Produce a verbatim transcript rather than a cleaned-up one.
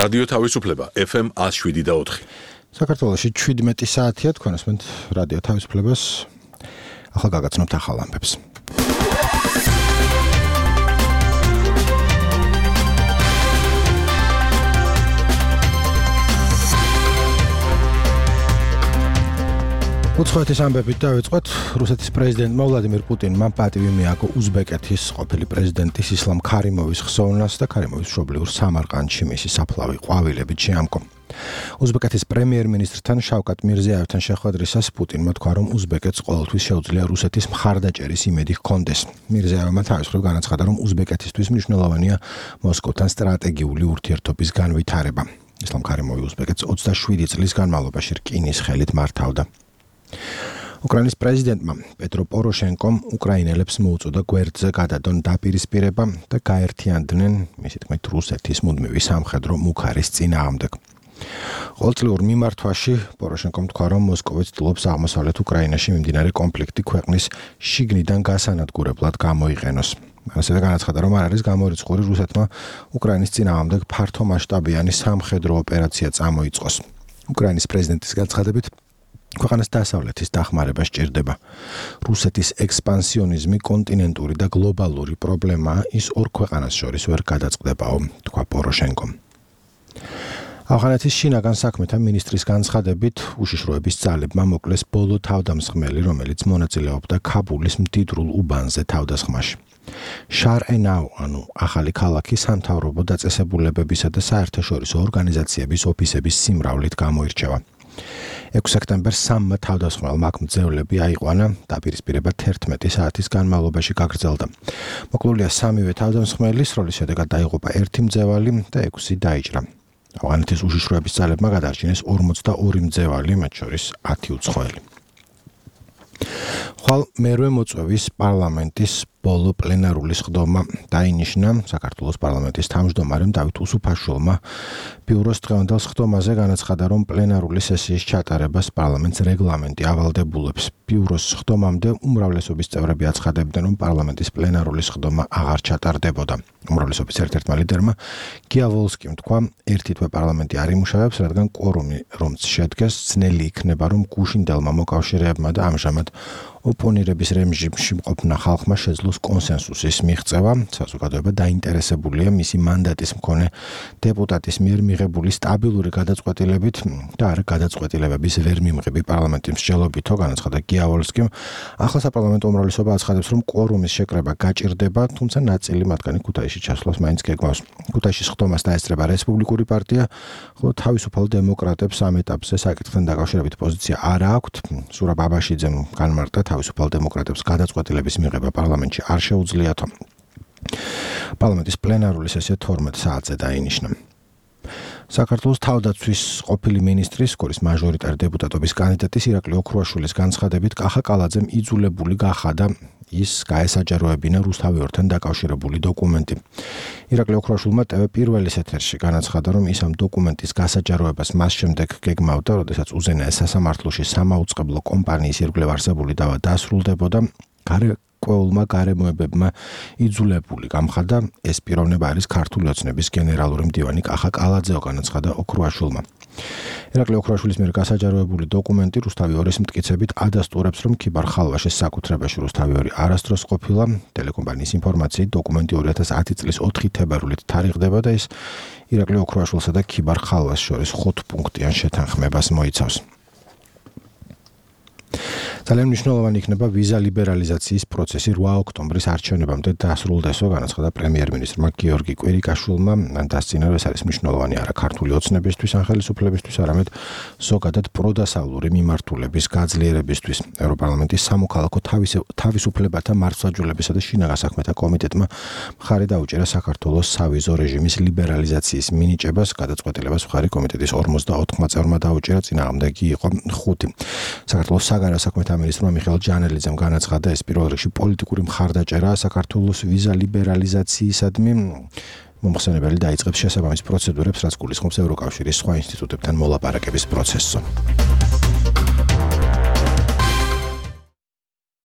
რადიო თავისუფლება ეფ ემ ათს შვიდი და ოთხი. საქართველოში შვიდმეტი საათია თქვენ ასმენთ რადიო თავისუფლებას. ახლა გაგაცნობთ ახალ ამბებს. უცხოეთის ამბებით დავიწყოთ. რუსეთის პრეზიდენტმა ვლადიმირ პუტინმა პატივი მიაგო უზბეკეთის ყოფილი პრეზიდენტის ისლამ ქარიმოვის ხსოვნას და ქარიმოვის მშობლიურ სამარყანდში მისი საფლავი ყვავილებით შეამკო. უზბეკეთის პრემიერ-მინისტრთან შავკატ მირზიაევთან შეხვედრისას პუტინმა თქვა, რომ უზბეკეთს ყოველთვის შეუძლია რუსეთის მხარდაჭერის იმედი ჰქონდეს. მირზიაევმა თავის მხრივ განაცხადა, რომ უზბეკეთისთვის მნიშვნელოვანია მოსკოვთან სტრატეგიული ურთიერთობის განვითარება. ისლამ ქარიმოვი უზბეკეთს ოცდაშვიდი წლის განმავლობაში რკინის ხელით მართავდა. უკრაინის პრეზიდენტმა პეტრო პოროშენკომ უკრაინელებს მოუწოდა გვერდზე გადადონ დაპირისპირება და გაერთიანდნენ, მისი თქმით, რუსეთის მუდმივი სამხედრო მუქარის წინააღმდეგ. ყოველწლიურ მიმართვაში პოროშენკომ თქვა, რომ მოსკოვი ცდილობს აღმოსავლეთ უკრაინაში მიმდინარე კონფლიქტი ქვეყნის შიგნიდან გასანადგურებლად გამოიყენოს. ასევე განაცხადა, რომ არ არის გამორიცხული რუსეთმა უკრაინის წინააღმდეგ ფართომასშტაბიანი სამხედრო ოპერაცია წამოიწყოს. უკრაინის პრეზიდენტის განცხადებით, ქვეყანას დასავლეთის დახმარება სჭირდება. რუსეთის ექსპანსიონიზმი კონტინენტური და გლობალური პრობლემაა, ის ორ ქვეყანას შორის ვერ გადაწყდებაო, თქვა პოროშენკომ. ავღანეთის შინაგან საქმეთა მინისტრის განცხადებით, უშიშროების ძალებმა მოკლეს ბოლო თავდამსხმელი, რომელიც მონაწილეობდა ქაბულის მდიდრულ უბანზე თავდასხმაში. შარ-ენაუ, ანუ ახალი ქალაქი სამთავრობო დაწესებულებებისა და საერთაშორისო ორგანიზაციების ოფისების სიმრავლით გამოირჩევა. ექვსი სექტემბერს სამმა თავდასხმელმა აქ მძევლები აიყვანა, დაპირისპირება თერთმეტი საათის განმავლობაში გაგრძელდა. მოკლულია სამივე თავდამსხმელი, სროლის შედეგად დაიღუპა ერთი მძევალი და ექვსი დაიჭრა. ავღანეთის უშიშროების ძალებმა გადაარჩინეს ორმოცდაორი მძევალი, მათ შორის ათი უცხოელი. ხვალ მერვე მოწვევის პარლამენტის ბოლო პლენარული სხდომა დაინიშნა. საქართველოს პარლამენტის თავმჯდომარემ დავით უსუფაშვილმა ბიუროს დღევანდელ სხდომაზე განაცხადა, რომ პლენარული სესიის ჩატარებას პარლამენტს რეგლამენტი ავალდებულებს. ბიუროს სხდომამდე უმრავლესობის წევრები აცხადებდნენ, რომ პარლამენტის პლენარული სხდომა აღარ ჩატარდებოდა. უმრავლესობის ერთ-ერთმა ლიდერმა გია ვოლსკიმ თქვა, ერთი თვე პარლამენტი არ იმუშავებს, რადგან კვორუმი რომც შედგეს, ძნელი იქნება, რომ გუშინდელმა მოკავშირეებმა და ამჟამად ოპონირების რეჟიმში მყოფნა ხალხმა შეძლოს კონსენსუსის მიღწევა. საზოგადოება დაინტერესებულია მისი მანდატის მქონე დეპუტატის მიერ მიღებული სტაბილური გადაწყვეტილებით და არა გადაწყვეტილებების ვერ მიმღები პარლამენტის მსჯელობითო, განაცხადა გია ვოლსკიმ. ახლა საპარლამენტო უმრავლესობა აცხადებს, რომ კვორუმის შეკრება გაჭირდება, თუმცა ნაწილი მათგანი ქუთაისში ჩასვლას მაინც გეგმავს. ქუთაისში სხდომას დაესწრება რესპუბლიკური პარტია, ხოლო თავისუფალ დემოკრატებს ამ ეტაპზე საკითხთან დაკავშირებით პოზიცია არ აქვთ. ზურაბ აბაშიძემ განმარტა, თავისუფალ დემოკრატებს გადაწყვეტილების მიღება პარლამენტში არ შეუძლიათო. პარლამენტის პლენარული სესია თორმეტ საათზე დაინიშნა. საქართველოს თავდაცვის ყოფილი მინისტრის, სკოლის მაჟორიტარი დეპუტატობის კანდიდატის ირაკლი ოქრუაშვილის განცხადებით, კახა კალაძემ იძულებული გახადა ის გაესაჯაროებინა რუსთავიორთან დაკავშირებული დოკუმენტი. ირაკლი ოქრუაშვილმა ტევ პირველის ეთერში განაცხადა, რომ ის ამ დოკუმენტის გასაჯაროებას მას შემდეგ გეგმავდა, როდესაც უზენაეს სასამართლოში სამაუწყებლო კომპანიის ირგვლივ არსებული დავა დასრულდებოდა. გარკვეულმა გარემოებებმა იძულებული გამხადა, ეს პიროვნება არის ქართული ოცნების გენერალური მდივანი კახა კალაძეო, განაცხადა ოქრუაშვილმა. ირაკლი ოქრუაშვილის მიერ გასაჯაროებული დოკუმენტი რუსთავი ორის მტკიცებით ადასტურებს, რომ ქიბარ ხალვაშის საკუთრებაში რუსთავი ორი არასდროს ყოფილა. ტელეკომპანიის ინფორმაციით, დოკუმენტი ორი ათას ათი წლის ოთხი თებერვლით თარიღდება და ის ირაკლი ოქრუაშვილსა და ქიბარ ხალვას შორის ხუთპუნქტიან შეთანხმებას მოიცავს. ძალიან მნიშვნელოვანი იქნება ვიზა ლიბერალიზაციის პროცესი რვა ოქტომბრის არჩევნებამდე დასრულდესო, განაცხადა პრემიერ-მინისტრმა გიორგი კვირიკაშვილმა. დასწინა, რომ ეს არის მნიშვნელოვანი არა ქართული ოცნებისთვის ან ხელისუფლებისთვის, არამედ ზოგადად პროდასავლური მიმართულების გაძლიერებისთვის. ევროპარლამენტის სამოქალაქო თავისუფლებათა მართლმსაჯულებისა და შინაგან საქმეთა კომიტეტმა მხარი დაუჭერა საქართველოს სავიზო რეჟიმის ლიბერალიზაციის მინიჭებას. გადაწყვეტილებას მხარი კომიტეტის ორმოცდაოთხმა წევრმა დაუჭერა, წინააღმდეგი იყო ხუთი. საქართველოს საგარეო საქმეთა მინისტრმა მიხეილ ჯანელიძემ განაცხადა, ეს პირველ რიგში პოლიტიკური მხარდაჭერაა საქართველოს ვიზა ლიბერალიზაციისადმი. მომხსენებელი დაიწყებს შესაბამის პროცედურებს, რაც გულისხმობს ევროკავშირის სხვა ინსტიტუტებთან მოლაპარაკების პროცესს.